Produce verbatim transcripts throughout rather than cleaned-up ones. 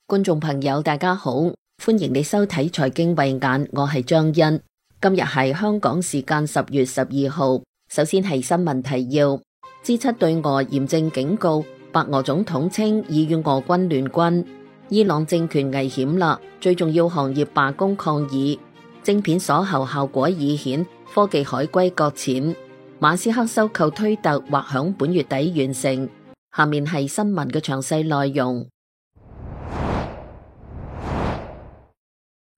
觀眾朋友大家好，歡迎你收睇財經慧眼，我係張欣。今日係香港時間十月十二號。首先係新聞提要。G 七對俄嚴正警告，白俄總統稱已與俄軍聯軍。伊朗政權危險啦，最重要行業罷工抗議。晶片鎖喉效果已顯，科技海歸擱淺。馬斯克收購推特或響本月底完成。下面係新聞嘅詳細內容。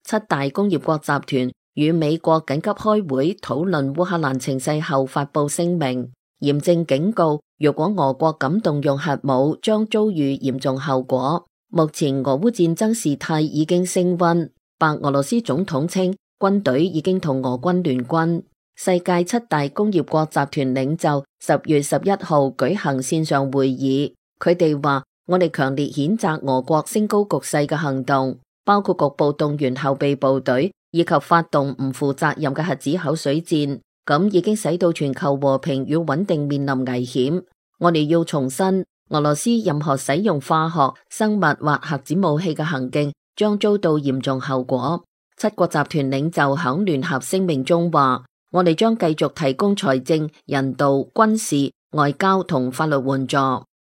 七大工業國集團與美國緊急開會討論烏克蘭情勢後發佈聲明，嚴正警告，若果俄國敢動用核武，將遭遇嚴重後果。目前俄烏戰爭事態已經升溫，白俄羅斯總統稱軍隊已經同俄軍聯軍。世界七大工業國集團領袖十月十一號舉行線上會議，佢哋話：我哋強烈譴責俄國升高局勢嘅行動，包括局部動員後備部隊以及發動唔負責任嘅核子口水戰，咁已經使到全球和平與穩定面臨危險。我哋要重申，俄羅斯任何使用化學、生物或核子武器嘅行徑將遭到嚴重後果。七國集團領袖響聯合聲明中話：我哋將繼續提供財政、人道、軍事、外交同法律援助，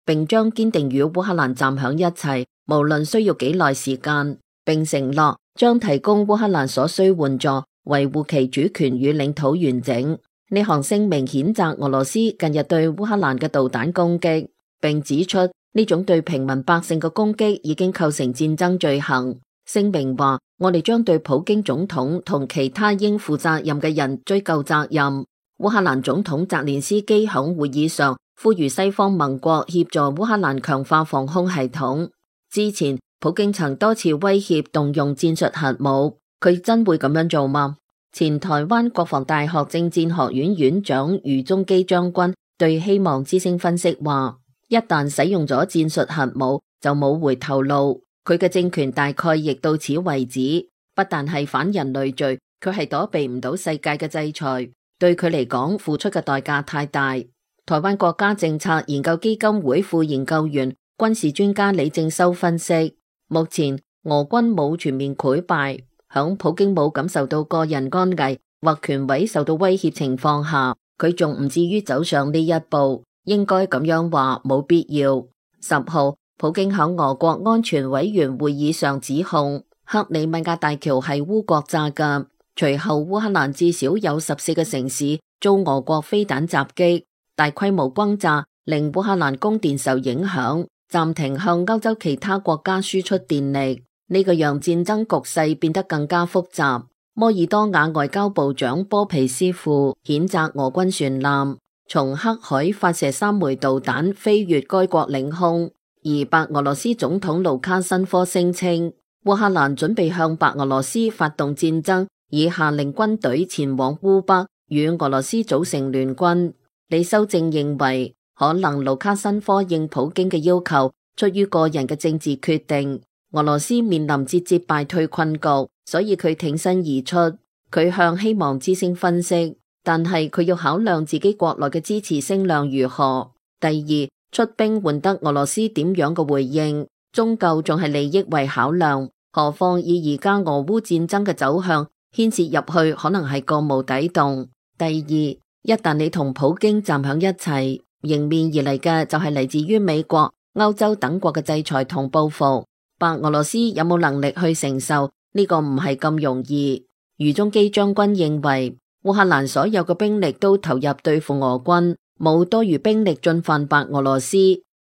並將堅定與烏克蘭站響一齊，無論需要幾耐時間，並承諾將提供烏克蘭所需援助，維護其主權與領土完整。呢項聲明譴責俄羅斯近日對烏克蘭嘅導彈攻擊，並指出呢種對平民百姓嘅攻擊已經構成戰爭罪行。聲明話：我哋將對普京總統同其他應負責任嘅人追究責任。烏克蘭總統澤連斯基響會議上呼籲西方盟國協助烏克蘭強化防空系統。之前普京曾多次威脅動用戰術核武，佢真會咁樣做嗎？前台灣國防大學政戰學院院長余宗基將軍對希望之聲分析話：一旦使用咗戰術核武，就冇回頭路。佢嘅政權大概亦到此為止，不但係反人類罪，佢係躲避唔到世界嘅制裁。對佢嚟講，付出嘅代價太大。台灣國家政策研究基金會副研究員、軍事專家李正修分析，目前俄軍冇全面潰敗，響普京冇感受到個人安危或權威受到威脅情況下，佢仲唔至於走上呢一步。應該咁樣話，冇必要。十號。普京喺俄國安全委員會議上指控克里米亞大橋係烏國炸嘅，隨後烏克蘭至少有十四個城市遭俄國飛彈襲擊，大規模轟炸令烏克蘭供電受影響，暫停向歐洲其他國家輸出電力，呢個讓戰爭局勢變得更加複雜。摩爾多瓦外交部長波皮斯庫譴責俄軍船艦從黑海發射三枚導彈飛越該國領空。而白俄羅斯總統盧卡申科聲稱，烏克蘭準備向白俄羅斯發動戰爭，以下令軍隊前往烏北與俄羅斯組成聯軍。李修正認為，可能盧卡申科應普京嘅要求，出於個人嘅政治決定，俄羅斯面臨節節敗退困局，所以佢挺身而出。佢向希望之聲分析，但係佢要考量自己國內嘅支持聲量如何。第二，出兵換得俄羅斯點樣嘅回應，終究仲係利益為考量。何況以而家俄烏戰爭嘅走向，牽涉入去可能係個無底洞。第二，一旦你同普京站響一齊，迎面而嚟嘅就係嚟自於美國、歐洲等國嘅制裁同報復。白俄羅斯有冇能力去承受呢個唔係咁容易。余宗基將軍認為，烏克蘭所有嘅兵力都投入對付俄軍，冇多餘兵力進犯白俄羅斯，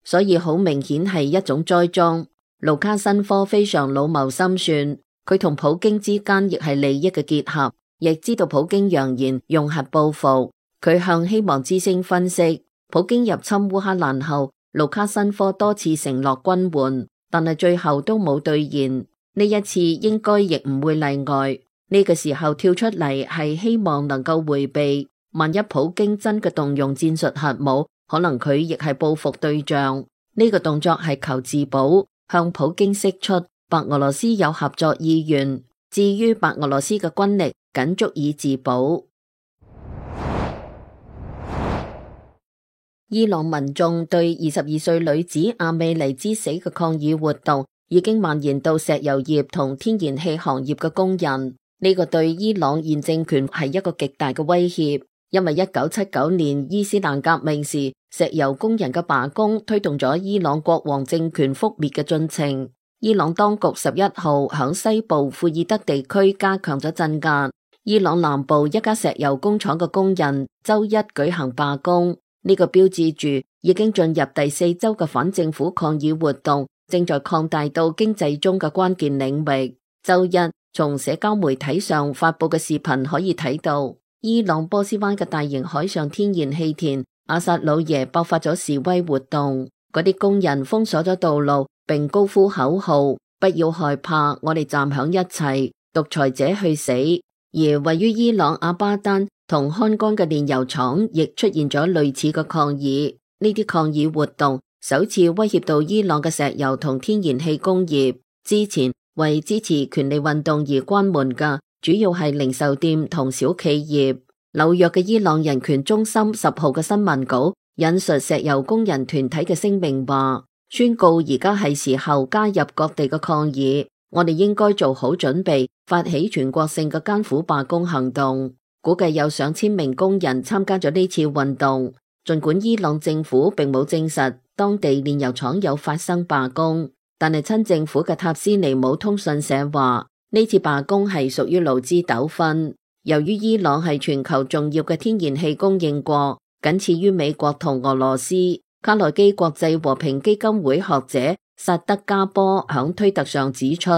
所以好明顯係一種栽贓。盧卡申科非常老謀深算，佢同普京之間亦係利益嘅結合，亦知道普京揚言用核報復。佢向希望之聲分析，普京入侵烏克蘭後，盧卡申科多次承諾軍援，但係最後都冇兌現。呢一次應該亦唔會例外。呢個時候跳出嚟係希望能夠回避。萬一普京真嘅動用戰術核武，可能佢亦係報復對象。呢個動作係求自保，向普京釋出白俄羅斯有合作意願。至於白俄羅斯嘅軍力，僅足以自保。伊朗民眾對二十二歲女子阿美尼之死嘅抗議活動已經蔓延到石油業同天然氣行業嘅工人。呢個對伊朗現政權係一個極大嘅威脅，因為一九七九年伊斯蘭革命時，石油工人嘅罷工推動咗伊朗國王政權覆滅嘅進程。伊朗當局十一號響西部庫爾德地區加強咗鎮壓。伊朗南部一家石油工廠嘅工人周一舉行罷工，呢個標誌住已經進入第四周嘅反政府抗議活動正在擴大到經濟中嘅關鍵領域。周一從社交媒體上發佈嘅視頻可以睇到，伊朗波斯灣嘅大型海上天然氣田阿薩魯耶爆發咗示威活動，嗰啲工人封鎖咗道路，並高呼口號：不要害怕，我哋站響一齊，獨裁者去死。而位於伊朗阿巴丹同漢江嘅煉油廠亦出現咗類似嘅抗議。呢啲抗議活動首次威脅到伊朗嘅石油同天然氣工業。之前為支持權利運動而關門嘅主要係零售店同小企業。紐約嘅伊朗人權中心十號嘅新聞稿引述石油工人團體嘅聲明話，宣告而家係時候加入各地嘅抗議，我哋應該做好準備，發起全國性嘅艱苦罷工行動。估計有上千名工人參加咗呢次運動。儘管伊朗政府並冇證實當地煉油廠有發生罷工，但係親政府嘅塔斯尼姆通訊社話，呢次罷工係屬於勞資糾紛。由於伊朗係全球重要嘅天然氣供應國，僅次於美國同俄羅斯。卡內基國際和平基金會學者薩德加波響推特上指出，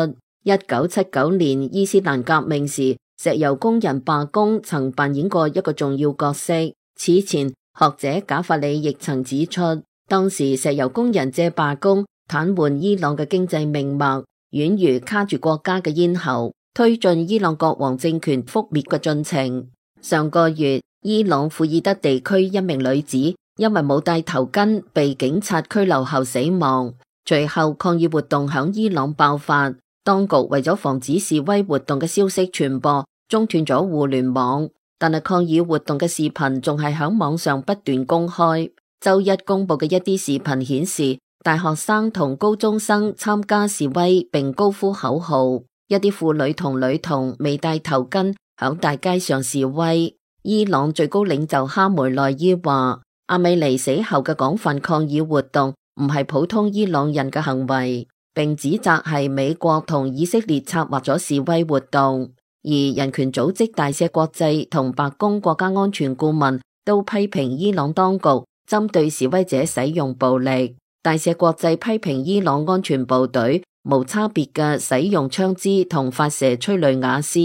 一九七九年伊斯蘭革命時，石油工人罷工曾扮演過一個重要角色。此前，學者賈法里亦曾指出，當時石油工人借罷工癱瘓伊朗嘅經濟命脈，宛如卡住國家嘅咽喉，推進伊朗國王政權覆滅嘅進程。上個月，伊朗庫爾德地區一名女子因為冇戴頭巾被警察拘留後死亡。隨後抗議活動響伊朗爆發，當局為咗防止示威活動嘅消息傳播，中斷咗互聯網，但係抗議活動嘅視頻仲係響網上不斷公開。周一公布嘅一啲視頻顯示，大學生同高中生參加示威並高呼口號，一啲婦女同女童未戴頭巾響大街上示威。伊朗最高領袖哈梅內伊話，阿美尼死後嘅廣泛抗議活動唔係普通伊朗人嘅行為，並指責係美國同以色列策劃咗示威活動。而人權組織大赦國際同白宮國家安全顧問都批評伊朗當局針對示威者使用暴力。大赦國際批評伊朗安全部隊無差別嘅使用槍支同發射催淚瓦斯，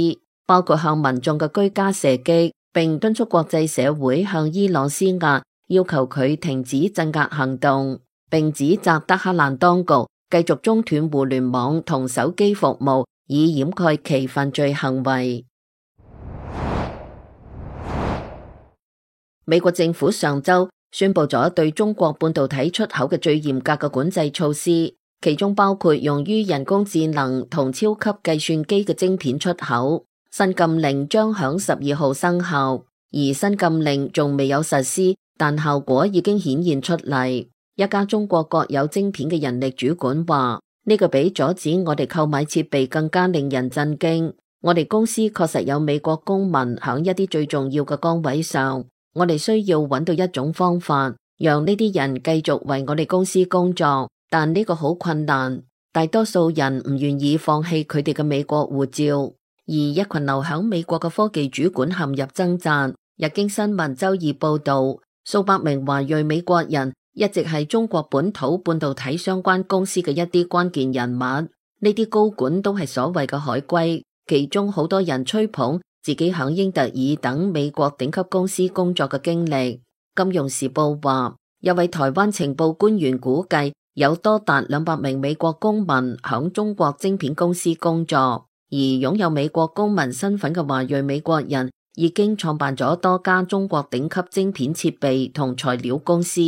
包括向民眾嘅居家射擊，並敦促國際社會向伊朗施壓，要求佢停止鎮壓行動，並指責德黑蘭當局繼續中斷互聯網同手機服務，以掩蓋其犯罪行為。美國政府上周宣布咗對中國半導體出口嘅最嚴格嘅管制措施，其中包括用於人工智能同超級計算機嘅晶片出口。新禁令將響十二號生效，而新禁令仲未有實施，但效果已經顯現出嚟。一家中國國有晶片嘅人力主管話，呢個比阻止我哋購買設備更加令人震驚。我哋公司確實有美國公民響一啲最重要嘅崗位上，我哋需要揾到一種方法，讓呢啲人繼續為我哋公司工作，但呢個好困難。大多數人唔願意放棄佢哋嘅美國護照。而一群留響美國嘅科技主管陷入掙扎。日經新聞周二報道，數百名華裔美國人一直係中國本土半導體相關公司嘅一啲關鍵人物。呢啲高管都係所謂嘅海歸，其中好多人吹捧自己響英特爾等美國頂級公司工作嘅經歷。金融時報話，一位台灣情報官員估計有多達兩百名美國公民響中國晶片公司工作。而擁有美國公民身份嘅華裔美國人已經創辦咗多家中國頂級晶片設備同材料公司。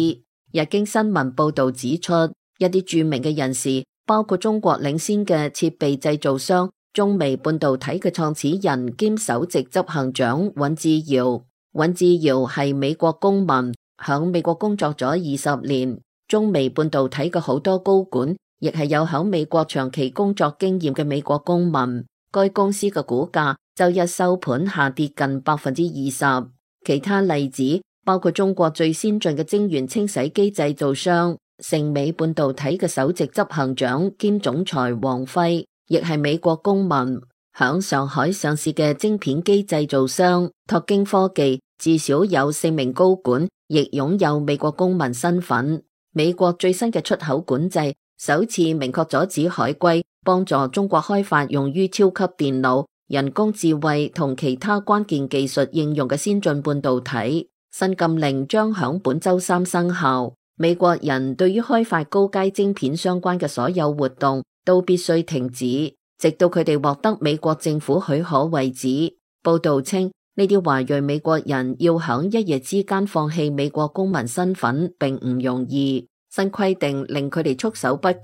日經新聞報道指出，一啲著名嘅人士，包括中國領先嘅設備製造商中微半導體嘅創始人兼首席執行長尹志堯。尹志堯係美國公民，響美國工作咗二十年。中微半導體嘅好多高管亦係有響美國長期工作經驗嘅美國公民。該公司嘅股價周一收盤下跌近百分之二十。其他例子包括中國最先進嘅晶圓清洗機製造商盛美半導體嘅首席執行長兼總裁王輝，亦係美國公民。響上海上市嘅晶片機製造商拓京科技至少有四名高管亦擁有美國公民身份。美國最新嘅出口管制首次明確阻止海歸幫助中國開發用於超級電腦、人工智慧同其他關鍵技術應用嘅先進半導體。新禁令將響本周三生效。美國人對於開發高階晶片相關嘅所有活動都必須停止，直到佢哋獲得美國政府許可為止。報道稱，呢啲華裔美國人要響一夜之間放棄美國公民身份並唔容易。新規定令佢哋束手不及，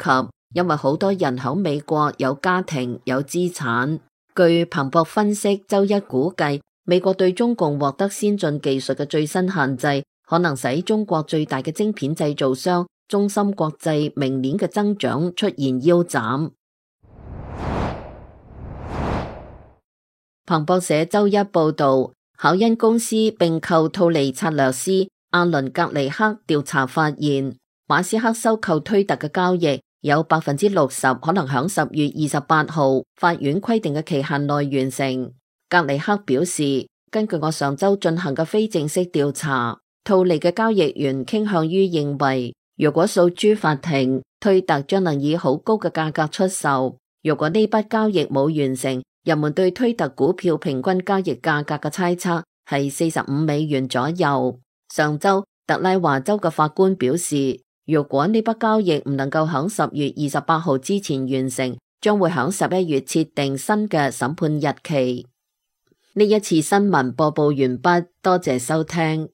因為好多人響美國有家庭有資產。據彭博分析，周一估計美國對中共獲得先進技術嘅最新限制，可能使中國最大嘅晶片製造商中芯國際明年嘅增長出現腰斬。彭博社周一報道，考恩公司併購兔利策略師阿倫格尼克調查發現，馬斯克收購推特嘅交易有百分之六十可能響十月二十八號法院規定嘅期限內完成。格尼克表示，根據我上周進行嘅非正式調查，兔利嘅交易員傾向於認為，如果訴諸法庭，推特將能以好高嘅價格出售。如果呢筆交易冇完成，人們對推特股票平均交易價格嘅猜測係四十五美元左右。上周，特拉華州嘅法官表示，如果呢筆交易唔能夠響十月二十八號之前完成，將會響十一月設定新嘅審判日期。呢一次新聞播報完畢，多謝收聽。